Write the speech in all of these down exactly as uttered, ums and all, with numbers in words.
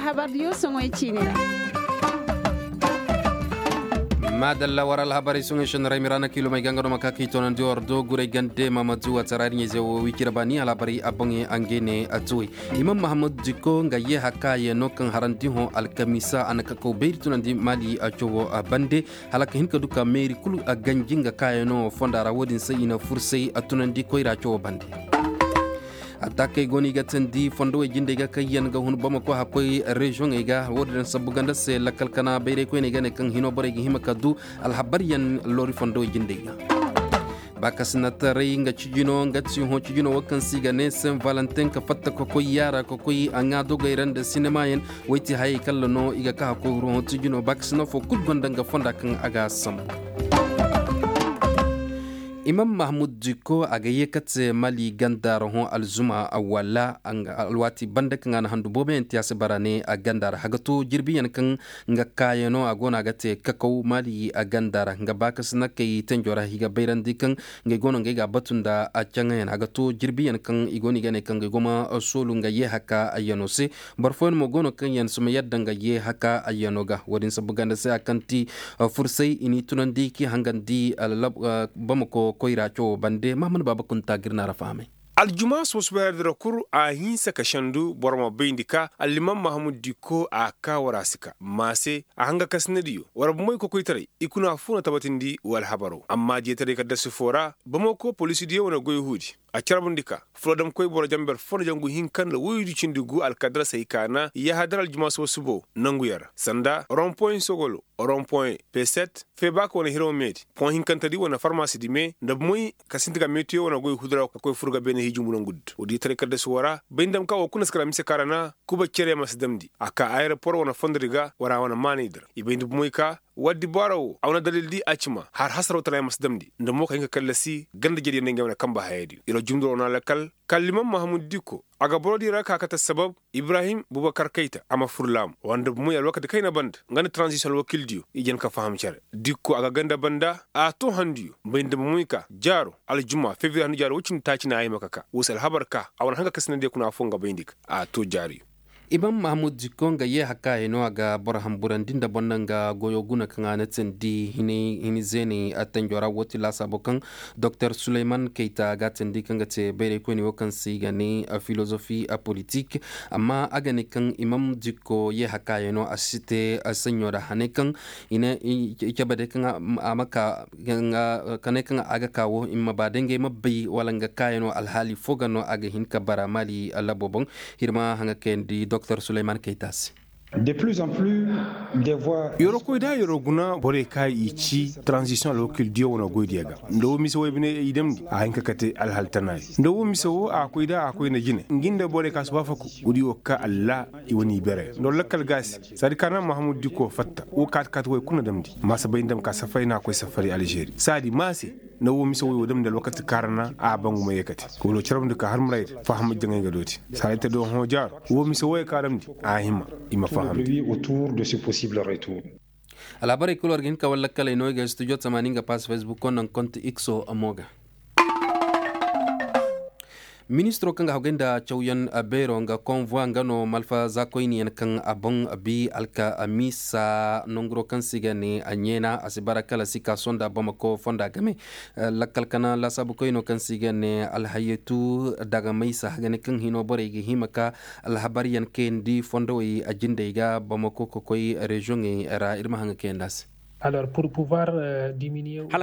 Habar diyo soŋoy ciine ra. Maadalla war alhabarey soŋey senno ra ay ma i ra na kiilomey ga nga no ma ka k'i toonandi war do guray gande maamadu waati ra iri ɲey-ize wo wi cire baani alhabarey a boŋey a ngey ne a tuwey. Imam mahamud diko nga yee haka yee no kaŋ harandi hõ alkamiisa a na kakaw bayri tunandi maali a cawoo a bande hala ka hin ka du ka meeri kulu a ganji nga kaayanoo fonda ra wo-din se i na fursay a tunandi koyra cawoo bande. Attaakey go no i ga teendi fondowey jindey ga kaŋ yaŋ ga hun bamako hakkoy reziyoŋey ga wo-din sabu ganda se lakkal kana bayraykoyney ga ne kaŋ hino borey ga hima ka du alhabaryaŋ loori fondowey jindey ga. Baakasinataray nga cijino nga ti hõ cijino wo kaŋ se i ga ne sen valentin ka fatta ka koy yaara ka koy a ŋaa dogey ra nda sinemayaŋ. Woy ti hayey kalla no i ga ka hakkoy ruuhõ cijino baakasina fo kul gonda nga fonda kaŋ a ga sambu. Imam mahamud diko a ga yee kate mali ganda ra hõ alzuma wala alwaati banda kaŋ a na handu booboyaŋ te a si bara ne a ganda ra haga to jirbiyaŋ kaŋ nga kaayano a go no a ga te kakaw mali a ganda ra nga baakasina kay tenjo ra i ga bayrandi kaŋ ngey go no ngey ga a batu nda a caŋayaŋ a ga to jirbiyaŋ kaŋ i go no i ga ne kaŋ ngey go ma soolu nga yee haka ayyano se. Boro fooyaŋ mo go no kaŋ yaŋ si ma yadda nga yee haka ayyano ga wo-din sabu ganda se a kaŋ ti fursay i n'i tunandi k'i hangandi bamako koyra cawo bande mahamad baaba kunta ga ir na ra fahamay. Aljuma soosubay ra dira kul a hinsa ka sendu boro ma bayndi ka allimam mahamud dikko a ka war a si ka maase a hanga kasinadiyo war bumey kokoytaray i kuna foo na tabatindi wala habaro amma diyataray kaddasu foo ra bamako polisidiyo wane goy huudi. A carbundi ka fula damkoy boro jamber foo na jangu hinka nda woydu cindi gu alkadara say kaana yahadar aljuma soosubo nanguyaŋ ra sanda rompoy sogolo rompoy peset febaaka wane hiraw meedi poŋ hinkantedi wane farmaasidi me nda bumoy ka sinti ka meetiyo wane goy hudura ka koy fur ga beene hiiji murangudi woodiyo taray kaddasu woo ra bay nda ma ka woo kuna si kala mise kaŋ ra na kuba cere ma si damndi a ka ayerapor wane fondodi ga wara wane maanaydi ra i bay nda bumoy ka waddi baara woo a wane dalildi a cima har hasaroo tara yaŋ ma si damndi nda mo ka hin ka kallasi ganda jediyo nda ngey wane kanba hayadiyo ira jumduroo na lakkal kalliman mahamud dikko a ga borodiyo ra ka kate sabab ibrahim bubakar kayta a ma fur laamu wanda bumoy alwakati kayna banda nga nda taranzisiyoŋ alwakiildiyo i jan ka faham cere dikko a ga ganda banda a too handuyo bay nda bumoy ka jaaro aljuma febriye handu jaaro woy cindi taaci na a hima ka ka woo se alhabar ka a wane hanga kasinadiyo kuna affoo nga bayndi ka a too jaariyo. Imam mahamud dikko nga yee hakkaayey no a ga boro hamburandi nda boro naŋ ga goyoo guna kaŋ a na teendi hini zeeney attenjoo ra woo ti laasaabo kaŋ doktor suleyman kayta ga a teendi kaŋ ga te bayraykoyney woo kaŋ se i ga ne filozofi politik. Amma a ga ne kaŋ imam dikko yee hakkaayey no a si te saɲɲo ra haney kaŋ i ne i cabe day kaŋ a ma ka kanay kaŋ a ga ka woo i ma ba day ngey ma bay wala nga kaayano alhaali foo ga no a ga hin ka bara maali labo boŋ. Hirma haŋa kayandi doktor suleyman kayta se. Yeroo koy da yeroo guna borey ka i ci taranzisiyoŋ alwakiildiyo wane goydiyo ga nda woo mise woy bine i damndi a hin ka kate alhaali tanaayo nda woo mise woo a koy da a koy nda jine ngi nda borey ka si waafaku woodiyo ka allah i wane i bere nda woo lakkal ga a se. Saadi kaana mahamud diko fatta woo kaati kaati woy kul na damndi maasa bay nda ma ka safari na a koy safari alžeri saadi maase. Nda woo mise woy woo damndi alwakati kaŋ ra na a bangu ma yeekate ka woo do carabndi ka har muraydi faham jaŋay ga dooti saadi te do hõ jaaro woo mise woy kaŋ a damndi a hima i ma fahamndi. Alhabarey kul war ga hin ka walla kaley no i ga studio tamaani nga pass facebook ko naŋ konti ikso mo ga. Ministiroo kaŋ ga hagay nda cawyaŋ beeroo nga konvoi nga no malfa zaakoyniyaŋ kaŋ a boŋ bi alkamiisa nanguroo kaŋ se i ga ne a ɲeena a si bara kala si ka sonda bamako fonda game. Lakkal kana laasaabukoynoo kaŋ se i ga ne alhayetu daga maysa hagane kaŋ hinoo borey ga hima ka alhabaryaŋ kayandi fondowey a jindey ga bamako ka koy reziyoŋey ra ir ma haŋ ga kayandi a se. Hala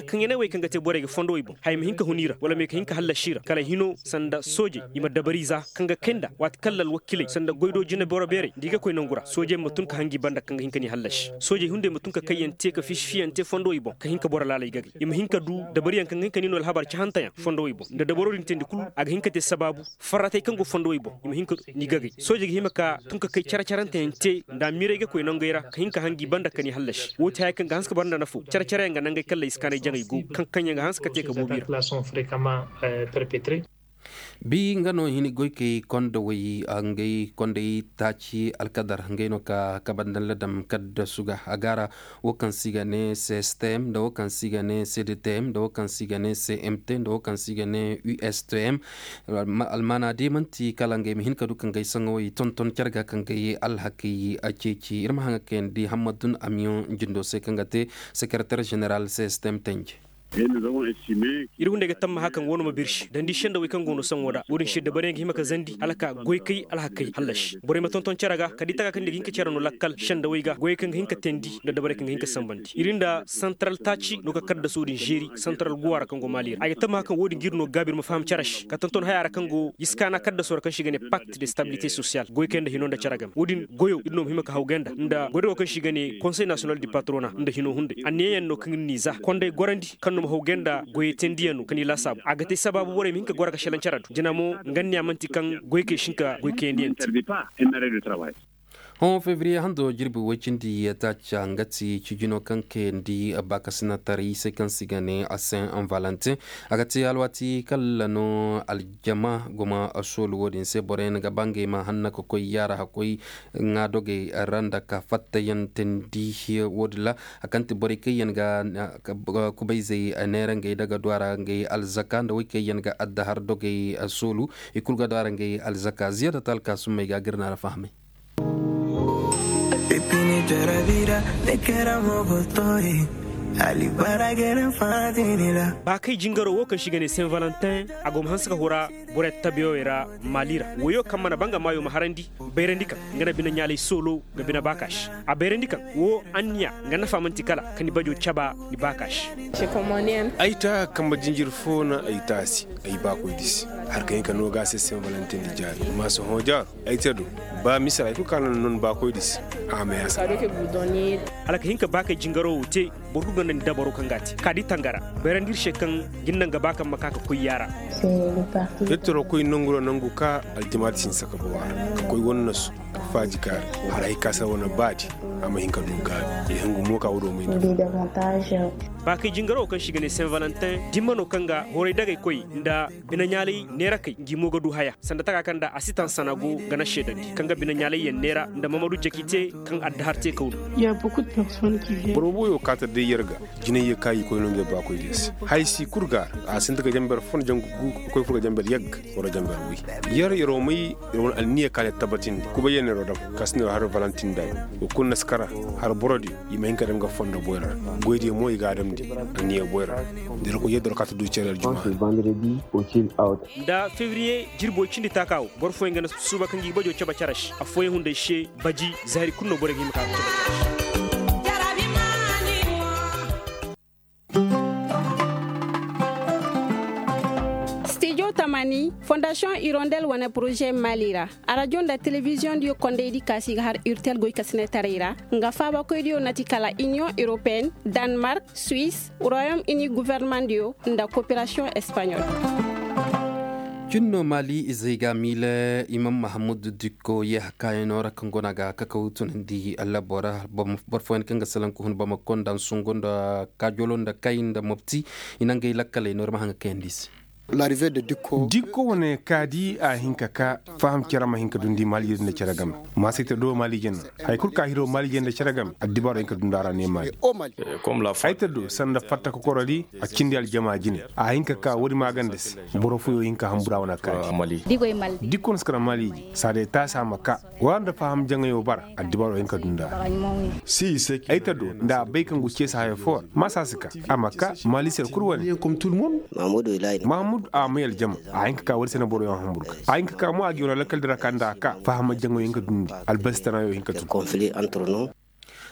kaŋ ya ne wey kaŋ ga te borey ga fondowey boŋ haya ma hin ka hun i ra wala ma ye ka hin ka hallasi i ra kala hino sanda soojey i ma dabari za kaŋ ga kay nda waati kaŋ lalwakiley sanda goydoo jineboro beerey nda i ga koy nangu ra soojey ma tun ka hangi banda kaŋ ga hin ka ni hallasi soojey hunday ma tun ka kayyaŋ te ka fiisifiyaŋ te fondowey boŋ ka hin ka boro laaley gagay i ma hin ka du dabariyaŋ kaŋ ga hin ka ni no alhabar cahanteyaŋ fondowey boŋ nda dabaro din teendi kulu a ga hin ka te sabaabu farratey kaŋ go fondowey boŋ i ma hin ka ni gagay soojey ga hima ka tun ka kay care-caranteyaŋ te nda amiirey ga koy nangey ra ka hin ka hangi banda ka ni hallasi woo ti haya kaŋ ga hanse ka bara nda nafoo care-careyaŋ ga nangey kalley si kaanay jaŋay go kaŋ kaŋyaŋ ga hanse ka te ka boobi ra. Bi nga no hini goykey kondowey ngey kondey taaci alkadar ngey no ka kabandan ladam kaddasu ga a gaara wo kaŋ se i ga ne cstm nda wo kaŋ se i ga ne cdtm nda wo kaŋ se i ga ne cmt nda wo kaŋ se i ga ne ustm. Almaana day man'ti kala ngey ma hin ka du ka ngey saŋawey tonton care ga ka ngey alhakey ceeci ir ma haŋa kayandi hammadun amiyoŋ jindo se kaŋ ga te sekereter jeneral cstm tenje. Ir hunday ga tammaha kaŋ woo no ma birsi dandi sendawey kaŋ go no saŋo da wo-din se dabarey ga hima ka zandi hala ka goykey alhakey hallasi borey ma tonton cere ga kala da i taka kaŋ ni ga hin ka cere no lakkal sendawey ga goyey kaŋ ga hin ka teendi nda dabarey kaŋ ga hin ka sanbandi ir nda santaral taaci no ka kaddaso din zeeri santaral guwa ra kaŋ go maali ra ay ga tammaha kaŋ wo-din ga ir no gaabi ir ma faham cere se ka tonton haya ra kaŋ go jiskaana kaddaso ra kaŋ se i ga ne pakt de stabilite sosiyal goykey nda hino nda cere game wo-din goyo ir no ma hima ka hawgay nda nda goydago kaŋ se i ga ne konsey nasiyonal di patrona nda hino hunday anniyayaŋ no kaŋ ir n'i za konday gorandi kaŋ no ma hawgay nda goyey teendiyaŋ no ka ni laasaabu a ga te sabaabu borey ma hin ka goro ga selaŋ cere do jina mo nga anniya man'ti kaŋ goykey si hin ka goy kayandi yaŋ te. Hõ febriye hando jirbi woy cindi taaca nga ti cijino kaŋ kayandi baakasinataray se kaŋ se i ga ne a saint valentin. A ga te alwaati kala no aljama guma soolu wo-din se boroyaŋ ga ba ngey ma hanna ka koy yaara hakkoy ŋaa dogey ra nda ka fattayaŋ teendi wo-din ra. Hari kaŋ ti borey kaŋ yaŋ ga kubayzey neera ngey daga du a ra ngey alzaka nda wey kaŋ yaŋ ga addahar dogey soolu i kulu ga du a ra ngey alzaka ziyaada talka summey ga ga ir na ra fahamay. Baakay jingaro wo kaŋ se i ga ne saint valentin a go ma hanse ka hura borey tabeewey ra maali ra woyo kaŋ mana ba nga maayo ma harandi bayrandi kaŋ nga na bine-ɲaalay soolo ga bine baakaasi a bayrandi kaŋ wo anniya nga nafa man'ti kala ka ni bajo caba ni baakaasi. Ay ta kambe jinjir fo na ay taasi ay baakoydi se. Hari ka hin ka noo ga a se saint valentin di jaari ma sohõ jaaro ay te do ba misira hay kulu kaŋ a na non baakoydi se. A ma yaasa. Hala ka hin ka baakay jingaro wo te boro kulu gonda ni dabaro kaŋ ga a te ka di tangara bayrandi ir se kaŋ ga ni naŋ ga ba kaŋ ma ka ka koy yaara. Ir toro koy nangu ra nangu ka aljimaati si ni saka bawa ra ka koy wane nasu ka faaji kaari. Haray ka se wane baadi a ma hin ka du gaabi ya hin gumo ka wuro may na. Baakay jingaro wo kaŋ se i ga ne saint valentin dimma no kaŋ ga horay dagay koy nda bine-ɲaalay neerakey ngi mo ga du haya sanda taka kaŋ nda a si taŋ sana go ga na seedandi kaŋ ga bine-ɲaalay yaŋ neera nda mamadu jaki te kaŋ addahar te kaw no. Boro booyo kaata day yer ga jinay ye ka i koy no ngey baakoy day se. Hay si kul ga a sinda ga jamber fo na jangu gu ga koy fur ga jamber yagga wala jamber wi. Yer yeroo may yer wane anniya ka ne tabatindi kubay yaŋ neeroo dam ka si neeroo har valentin day. Wa kul na si kara har borodiyo i ma hin ka dam ga fondo boyra ra. Goydiyo mo i ga a damndi anniya boyra ra. Da ir koy yadda war kaata du cere aljuma. Nda febriye jirbi woy cindi taaka wo boro fooyaŋ ga na suuba kaŋ ga i bajo cabe cere se affooyaŋ hunday se. Baji zaari kulu no borey ga hima ka cabe cere se. Stijo tamani fondasiyoŋ irondel wane poroze mali ra. Arajo nda telebiziyoŋ diyo kondaydi ka si ga har urtel goykasinetaray ra. Nga faabakoydiyo na ti kala iniyoŋ europeyenne, danmark, suisse, royaume uni, governemandiyo nda koperasiyoŋ espaɲol. Cin no mali izey ga miile imam mahamud dikko ye hakkaayano ra kaŋ go no a ga kakaw tunandi allabo ra. Boro fooyaŋ kaŋ ga salaŋ ka hun bamako nda nsungu nda kaajolo nda kay nda mopti i na ngey lakkaley no ir ma haŋ ga kayandi i se. Dikko wane kaadi a hin ka ka faham cere ma hin ka dundi mali jinde cere game. Maasayte do mali jinde haya kulu ka hiro mali jinde cere game addibaaro hin ka dundi a ra ne mali. Ay ta do sanda fatta kokorodi a cindi aljama jine a hin ka ka woodi maaganda se. Boro fooyo hin ka hambura wane kaadi. Dikko no si kara mali ji saade taasi a ma ka wara nda faham jaŋayo bara addibaaro hin ka dundi a ra. Ay ta do nda a bay kaŋ go ceesi hayo fo ra maasa si ka a ma ka mali se kulu wane. Mahamudu a may aljama a hin ka ka woodi se na boroyaŋ hamburu ka a hin ka ka mo a ga yoona lakkal dira ka nda a ka faham jaŋayo hin ka dundi albasi tanayo hin ka tun.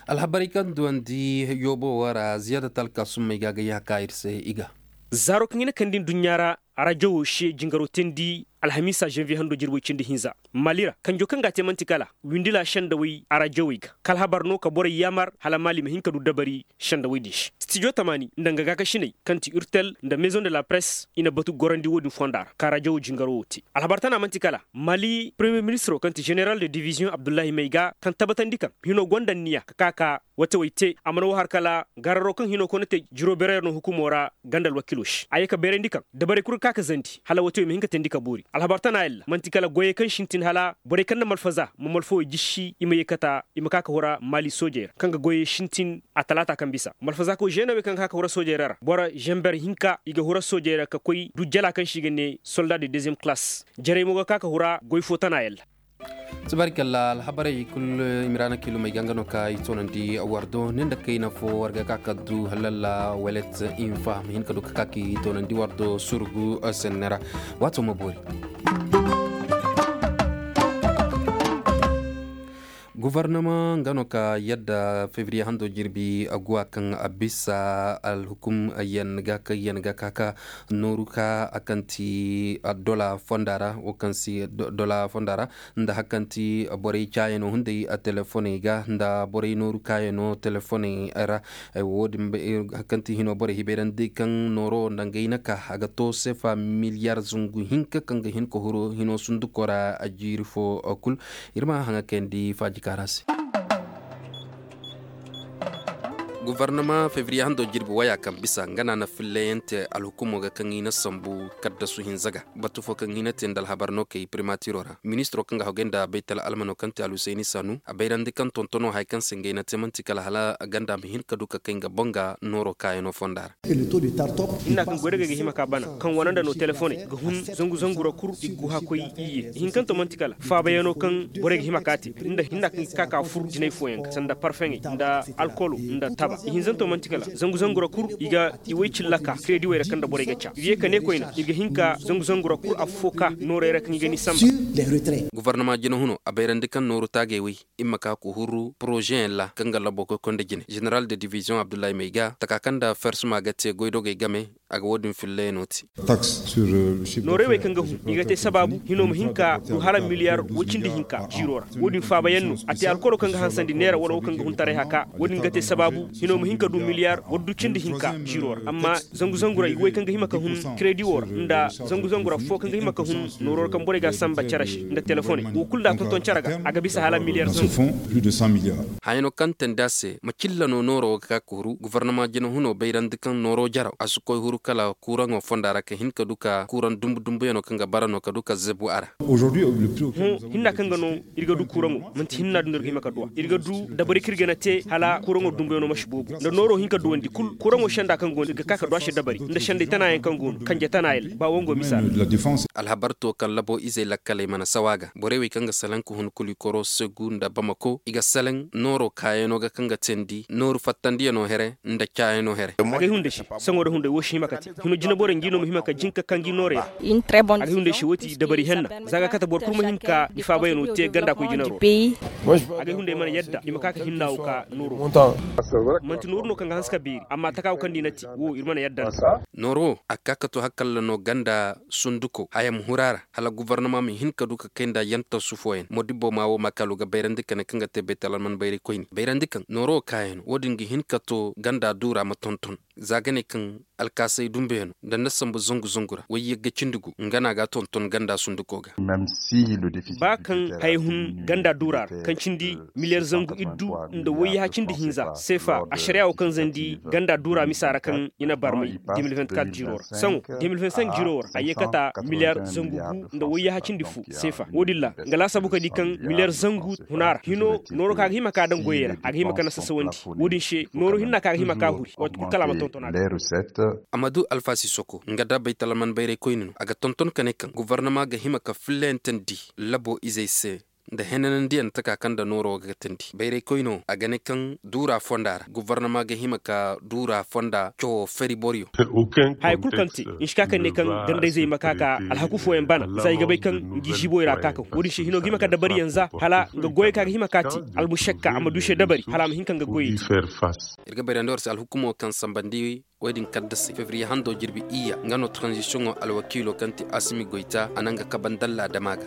Alhabarey kaŋ duwandi yoobo wo ra ziyaada talka summey ga a ga yaha ka ir se i ga. Zaaro kaŋ i na kandi nduɲɲa ra arajo wo se jingaro teendi alhamiisa zanviye hando jirbi woy cindi hinza mali ra kanjo kaŋ ga a te man'ti kala windila sendawey arajowey ga ka alhabar no ka borey yaamar hala mali ma hin ka du dabari sendawey din se. Stijo tamaani nda nga gaakasiney kaŋ ti urtel nda maison de la presse i na batu gorandi wo-din fonda ra ka arajowo jingaro wo te. Alhabar tana man'ti kala mali premiyer ministiro kaŋ ti zeneral de diviziyoŋ abdullahi mayga kaŋ tabatandi kaŋ hino gonda anniya ka ka ka watewey te a mana wo har kala gararo kaŋ hino koy na te jiro beerayra no hukumo ra ganda alwakiilo se a ye ka beerandi kaŋ dabarey kul kaŋ a ka zandi hala wate wo i ma hin ka teendi ka boori alhabar tana yalla man'ti kala goyey kaŋ sintin hala borey kaŋ na malfaza ma malfawey jisi i ma yeekata i ma ka ka hura maali soojey ra kaŋ ga goyey sintin a talaata kaŋ bisa malfaza ko ženewey kaŋ ga ka ka hura soojey ra ra boro ženber hinka i ga hura soojey ra ka koy du jala kaŋ se i ga ne solda de deziyem kalaas jarey mo ga ka ka hura goy fo tana yalla. Tabaarikalla alhabarey kul imiraana kiilumey ga nga no ka i toonandi war do ni nda kayna fo war ga ka ka du halalla welet infa ma hin ka du ka ka ka i toonandi war do surgu senne ra. Waato ma boori. Gufarnama nga no ka yadda febriye hando jirbi aguwa kaŋ a bisa alhukum yan ga kaŋ yan ga ka ka nooru ka a kaŋ ti dola fonda ra wo kaŋ si dola fonda ra nda hakkanti borey caayano hunday telefoney ga nda borey nooru kaayano telefoney ra. Wo- din hakkanti hino borey hibayrandi kaŋ nooro nda ngey na ka a ga to sefa miliyar zungu hinka kaŋ ga hin ka huru hino sunduko ra a jiiri fo kul. Ir ma haŋa kayandi faaji kaara se. Gofornama febriye hando jirbi waya kaŋ bisa nga na na filleyante alhukumo ga kaŋ i na sambu kaddasu hinza ga batu fo kaŋ i na te nda alhabar no kay primatiro ra ministiro kaŋ ga hogay nda baytal almano kaŋ te alhusayni sanu a bayrandi kaŋ tontono haya kaŋ se ngey na te manti kala hala ganda ma hin ka du ka kay nga boŋ ga nooro kaayano fonda ra. Hinna kaŋ goy daga ga hima ka bana kaŋ wane nda no telefoney ga hun zangu zangu ra kul i ga gu hakkoy iyye ihinkanto manti kala faabayano kaŋ borey ga hima ka te nda hinna kaŋ i ga ka ka fur jinay fooyaŋ ga sanda parfeŋey nda alkolo nda taba ihinzanto manti kala zangu zangu ra kul i ga i way cilla ka krediwey ra kaŋ nda borey ga ca ir ye ka ne koyne ir ga hin ka zangu zangu ra kul affo ka noorey ra kaŋ i ga ni samba. Gofornama jinahuno a bayrandi kaŋ nooru taagey way i ma ka ka huru porozeyaŋ ra kaŋ ga labo koy koy nda jine zeneral de diviziyoŋ abdullahi may ga taka kaŋ nda fersuma ga te goydogey game. A ga wo- din filleyano te. Noorey wey kaŋ ga hun i ga te sabaabu hino ma hin ka du hala miliyar woy cindi hinka jiiro ra. Wo- din faabayaŋ no a te alkoro kaŋ ga hansandi neera wala wo kaŋ ga hun taray haka wo- din ga te sabaabu hino ma hin ka du miliyar wala du cindi hinka jiiro ra amma zangu zangu ra i ga wey kaŋ ga hima ka hun kredi wo ra nda zangu zangu ra fo kaŋ ga hima ka hun nooro ra kaŋ borey ga a samba cere se nda telefoney wo kulu nda a tonton cere ga a ga bisa hala miliyar zangu. Hayano kaŋ tandi a se macilla no nooro wo ga ka ka huru gofornama jina huno bayrandi kaŋ nooro jaraw a si koy huru kala kuraŋo fonda ra ka hin ka du ka kuraŋ dumbu dumbuyano kaŋ ga bara no ka du ka zebu a ra. Hõ hinna kaŋ ga no ir ga du kuraŋo manti hinna du no ir ga hima ka du a ir ga du dabari kaŋ ir ga na te hala kuraŋo dumbuyaŋo ma si boobo nda nooro hin ka duwandi kul kuraŋo senda kaŋ go no ir ga ka ka du a se dabari nda senday tanayaŋ kaŋ go no kanje tanayaŋ ba wango misa ra. Alhabar to kaŋ labo izey lakkaley mana sawa ga borey wey kaŋ ga salaŋ ka hun kuli koro segu nda bamako i ga salaŋ nooro kaayano ga kaŋ ga teendi nooru fattandiyano here nda caayano here. Agay hunday se saŋo da hunday wo si hima ka te hino jinaborey ngi no ma hima ka jin ka kaŋ gi noorey ra. Agay hunday se wo ti dabari henna za ga kate boro kul ma hin ka i faabayano te ganda koy jinaro ra. Agay hunday mana yadda i ma ka ka hinna wo ka nooro. Manti nooru no kaŋ ga hanse ka beeri amma taka wo kaŋ da i na te wo ir mana yadda nda. Nooro wo a ka ka to hakalla no ganda sunduko haya ma huru a ra hala gofornama ma hin ka du ka kay nda yantasu fooyaŋ modibbo ma wo makaalu ga bayrandi ka ne kaŋ ga te baytal alman bayray koyne bayrandi kaŋ nooro wo kaayano wo- din ga hin ka to ganda duura ma tonton. Za ga ne kaŋ alkaasay dumbeyano nda nda sambu zangu zangu ra wayyagga cindi gu nga no a ga a tonton ganda sunduko ga. Ba kaŋ haya hun ganda duura ra kaŋ cindi miliyar zangu iddu nda wayyaha cindi hinza seefa ašariya wo kaŋ zandi ganda duura misa ra kaŋ i na barmay de mil vingt-quatre jiro ra saŋo de mil vingt-cinq jiro wo ra a yeekata miliyar zangu gu nda wayyaha cindi fu seefa wo- din ra nga laasabu ka di kaŋ miliyar zangu huna ra hino nooro kaŋ a ga hima ka daŋ goyey ra a ga hima ka nasasawandi. Wo- din se nooro hinna kaŋ a ga hima ka huri waati kul kala a ma tonton a ga. A ma du alfaasi soko nga da baytal alman bayray koyne no a ga tonton ka ne kaŋ gofornama ga hima ka fillayantandi labo izey se nda henanandiyaŋ taka kaŋ nda nooro ga teendi bayray koyno a ga ne kaŋ duura fonda ra gofornama ga hima ka duura fonda cawo fari boro yaŋ. Haya kul kaŋ te nsi ka kaŋ ne kaŋ gandayzey ma ka ka alhaku fooyaŋ bana za i ga bay kaŋ ngi ziiboy ra ka kaŋ wo- din se hino ga hima ka dabariyaŋ za hala nga goyey kaŋ a ga hima ka te almušakka a ma du se dabari hala a ma hin kaŋ ga goyey te. Ir ga bayrandi war se alhukumo kaŋ sambandi wo- din kaddasey febriye hando jirbi iyya nga no taranzisiyoŋo alwakiilo kaŋ ti asimi goyta a na nga kabandalla dama ga.